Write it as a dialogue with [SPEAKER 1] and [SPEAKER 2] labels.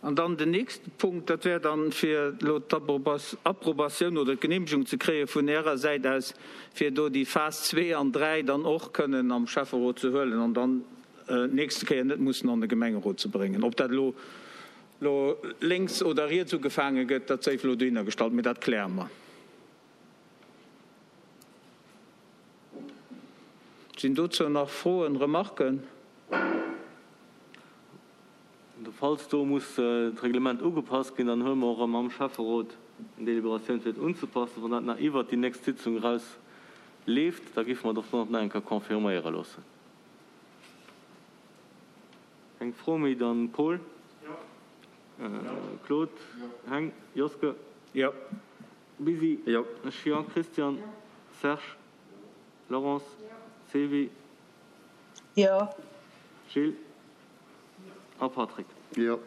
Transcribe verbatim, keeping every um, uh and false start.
[SPEAKER 1] An dann den nächste Punkt, dat wär dann, fir elo d'Approbatioun oder d'Genehmegung ze kréie vun Ärer Säit aus, fir do déi Phas zwee an dräi dann och kënnen am Schäfferot ze huelen an dann d'nächste Kéier net mussen an de Gemengerot ze bréngen. Ob dat elo elo lénks oder riets ugefaange gëtt, dat séif elo dohinner gestallt, mee dat kläre mer. Sinn dozou nach Froen, Remarken?
[SPEAKER 2] Falls do muss d'Reglement ugepasst ginn, dann huele mer och erëm am Schäfferot eng Deliberatioun fir et unzepassen. Wann dat nach iwwert déi nächst Sitzung eraus leeft, da géife mer et och dann och nach eng Kéier confirméiere loossen. Keng Fro méi? Dann Paul? Claude? Heng? Joske?
[SPEAKER 1] Jo.
[SPEAKER 2] Busy? Ech jo. Christian? Serge? Laurence? Sylvie?
[SPEAKER 3] Jo.
[SPEAKER 2] Gilles? A Patrick?
[SPEAKER 4] Jo.